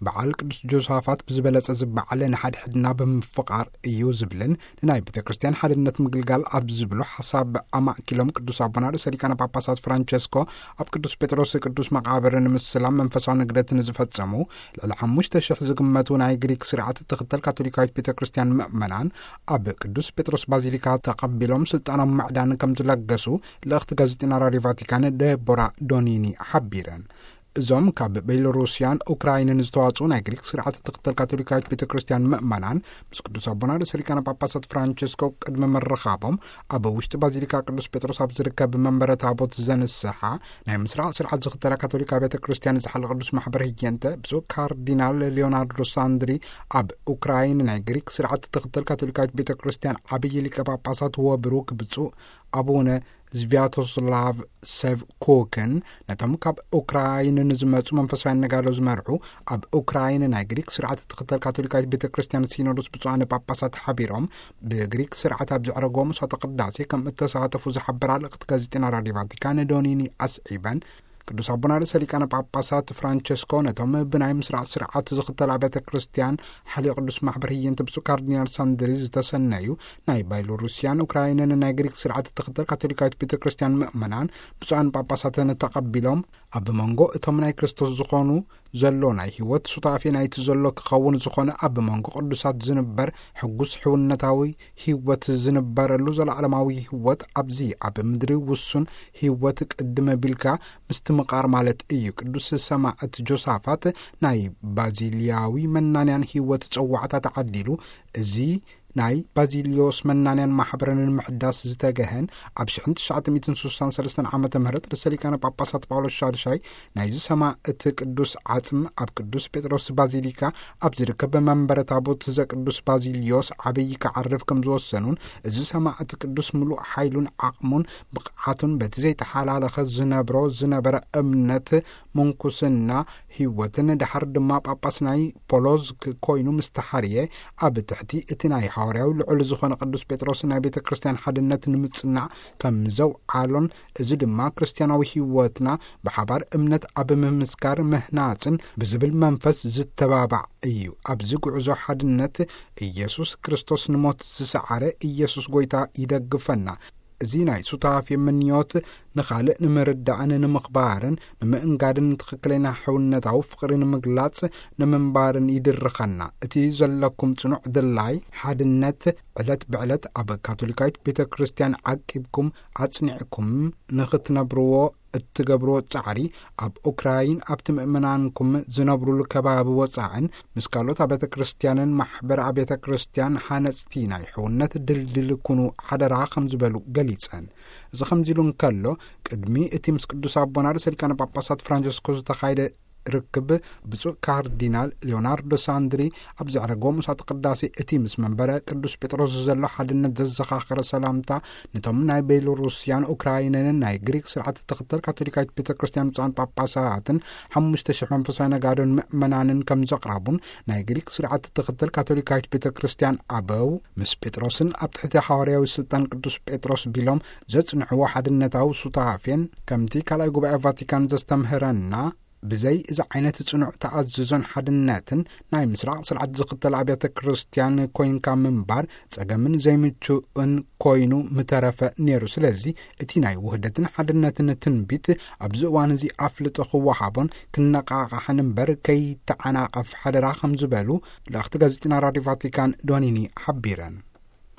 በዓል ቅዱስ ጆሳፋት ብዝበለጸ ዝበዓለ ንሓድሕድና ብምፍቓር እዩ ዝብልን ንናይ ቤተ ክርስቲያን ሓድነት ምግልጋል ኣብ ዝብሉ ሓሳብ ኣማእኪሎም ቅዱስ ኣቦና ርእሰ ሊቃነ ጳጳሳት ፍራንቸስኮ ኣብ ቅዱስ ጴጥሮስ ቅዱስ መቓብር ንምስላም መንፈሳዊ ንግደት ንዝፈጸሙ ልዕሊ ሓሙሽተ ሽሕ ዝግመቱ ናይ ግሪክ ስርዓት እትኽተል ካቶሊካዊት ቤተ ክርስቲያን ምእመናን ኣብ ቅዱስ ጴጥሮስ ባዚሊካ ተቐቢሎም ስልጣኖም ምዕዳን ከም ዝለገሱ ልእኽቲ ጋዜጠኛ ራድዮ ቫቲካን ደቦራ ዶኒኒ ሓቢረን። እዞም ካብ ቤሎሩስያን ኡክራይንን ዝተዋጽኡ ናይ ግሪክ ስርዓት እትኽተል ካቶሊካዊት ቤተ ክርስቲያን ምእመናን ምስ ቅዱስ ኣቦና ርእሰ ሊቃነ ጳጳሳት ፍራንቸስኮ ቅድሚ ምርኻቦም ኣብ ውሽጢ ባዚሊካ ቅዱስ ጴጥሮስ ኣብ ዝርከብ መንበረ ታቦት ዘንስሓ ናይ ምስራቕ ስርዓት ዝኽተላ ካቶሊካ ቤተ ክርስቲያን ዝሓለ ቅዱስ ማሕበር ህየንተ ብፁዕ ካርዲናል ሊዮናርዶ ሳንድሪ ኣብ ኡክራይን ናይ ግሪክ ስርዓት እትኽተል ካቶሊካዊት ቤተ ክርስቲያን ዓብዪ ሊቀ ጳጳሳት ወብሩክ ብፁዕ ኣቡነ ዝቪያቶስላቭ ሴቭኮክን ነቶም ካብ ኡክራይን ንዝመጹ መንፈሳውያን ነጋዶ ዝመርሑ ኣብ ኡክራይን ናይ ግሪክ ስርዓት እትኽተል ካቶሊካዊት ቤተ ክርስቲያን ሲኖዶስ ብፁዓነ ጳጳሳት ሓቢሮም ብግሪክ ስርዓት ኣብ ዘዕረግዎ ምሳተ ቅዳሴ ከም እተሳተፉ ዝሓበራ ልእኽቲ ጋዜጠና ራድዮ ቫቲካን ዶኒኒ ኣስዒበን ቅዱስ ኣቦና ርእሰ ሊቃነ ጳጳሳት ፍራንቸስኮ ነቶም ብናይ ምስራቕ ስርዓት ዝኽተል ኣብያተ ክርስቲያን ሓልዮ ቅዱስ ማሕበር ህየንተ ብፁዕ ካርዲናል ሳንድሪ ዝተሰነዩ ናይ ባይሎሩስያን ኡክራይንን ናይ ግሪክ ስርዓት እትኽተል ካቶሊካዊት ቤተ ክርስቲያን ምእመናን ብፁዓን ጳጳሳትን ተቐቢሎም ኣብ መንጎ እቶም ናይ ክርስቶስ ዝኾኑ ዘሎ ናይ ህይወት ሱታፌ ናይቲ ዘሎ ክኸውን ዝኾነ ኣብ መንጎ ቅዱሳት ዝንበር ሕጉስ ሕውነታዊ ህይወት ዝንበረሉ ዘለዓለማዊ ህይወት ኣብዚ ኣብ ምድሪ ውሱን ህይወት ቅድም ቢልካ ምስትምቓር ማለት እዩ። ቅዱስ ሰማዕት ጆሳፋት ናይ ባዚልያዊ መናንያን ህይወት ጸዋዕታ ተዓዲሉ እዚ ናይ ባዚልዮስ መናንያን ማሕበረ ንምሕዳስ ዝተገሀን ኣብ ሽሕን ትሽዓተ ሚእትን ስሳን ሰለስተን ዓመተ ምህረት ርእሰ ሊቃነ ጳጳሳት ጳውሎስ ሻድሻይ ናይዚ ሰማዕት ቅዱስ ዓጽም ኣብ ቅዱስ ጴጥሮስ ባዚሊካ ኣብ ዝርከብ መንበረ ታቦት ዘቅዱስ ባዚልዮስ ዓብዪ ክዓርፍ ከም ዝወሰኑን እዚ ሰማዕት ቅዱስ ምሉእ ሓይሉን ዓቕሙን ብቕዓቱን በቲ ዘይተሓላለኸ ዝነብሮ ዝነበረ እምነት ምንኩስና ህይወትን ድሓር ድማ ጳጳስ ናይ ፖሎዝክ ኮይኑ ምስ ተሓርየ ኣብ ትሕቲ እቲ ናይ ሃዋርያዊ ልዑል ዝኾነ ቅዱስ ጴጥሮስ ናይ ቤተ ክርስቲያን ሓድነት ንምጽናዕ ከም ዘውዓሎን እዚ ድማ ክርስቲያናዊ ህይወትና ብሓባር እምነት ኣብ ምምስካር ምህናጽን ብዝብል መንፈስ ዝተባባዕ እዩ። ኣብዚ ጉዕዞ ሓድነት ኢየሱስ ክርስቶስ ንሞት ዝሰዓረ ኢየሱስ ጎይታ ይደግፈና። እዚ ናይ ሱታፌ ምንዮት ንኻልእ ንምርዳእን ንምኽባርን ንምእንጋድን ትኽክለኛ ሕውነታዊ ፍቕሪ ንምግላጽ ንምንባርን ይድርኸና። እቲ ዘለኩም ጽኑዕ ድላይ ሓድነት ዕለት ብዕለት ኣብ ካቶሊካዊት ቤተ ክርስቲያን ዓቂብኩም ኣጽኒዕኩም ንኽትነብርዎ እትገብርዎ ጻዕሪ ኣብ ኡክራይን ኣብቲ ምእመናንኩም ዝነብሩሉ ከባቢ ወጻዕን ምስ ካልኦት ኣብያተ ክርስቲያንን ማሕበር ኣብያተ ክርስቲያን ሓነጽቲ ናይ ሕውነት ድልድል ኩኑ ሓደራ ከም ዝበሉ ገሊጸን። እዚ ከምዚ ኢሉ እንከሎ ቅድሚ እቲ ምስ ቅዱስ ኣቦና ርእሰ ሊቃነ ጳጳሳት ፍራንቸስኮ ዝተኻየደ ርክብ ብፁዕ ካርዲናል ሊዮናርዶ ሳንድሪ ኣብ ዘዕረግዎ ምሳተ ቅዳሴ እቲ ምስ መንበረ ቅዱስ ጴጥሮስ ዘሎ ሓድነት ዘዘኻኸረ ሰላምታ ነቶም ናይ ቤሎሩስያን ኡክራይንን ናይ ግሪክ ስርዓት እትኽተል ካቶሊካዊት ቤተ ክርስቲያን ብፁዓን ጳጳሳትን ሓሙሽተ ሽሕ መንፈሳዊ ነጋዶን ምእመናንን ከም ዘቕረቡን ናይ ግሪክ ስርዓት እትኽተል ካቶሊካዊት ቤተ ክርስቲያን ኣበው ምስ ጴጥሮስን ኣብ ትሕቲ ሓዋርያዊ ስልጣን ቅዱስ ጴጥሮስ ቢሎም ዘጽንዕዎ ሓድነታዊ ሱታፌን ከምቲ ካልኣይ ጉባኤ ቫቲካን ዘስተምህረና ብዘይ እዚ ዓይነት ጽኑዕ ተኣዝዞን ሓድነትን ናይ ምስራቕ ስርዓት ዝኽተል ኣብያተ ክርስቲያን ኮይንካ ምንባር ጸገምን ዘይምቹእን ኮይኑ ምተረፈ ነይሩ። ስለዚ እቲ ናይ ውህደትን ሓድነትን ትንቢት ኣብዚ እዋን እዚ ኣፍልጦ ክወሃቦን ክነቓቓሕን እምበር ከይተዓናቐፍ ሓደራ ከም ዝበሉ ልእኽቲ ጋዜጠና ራድዮ ቫቲካን ዶኒኒ ሓቢረን።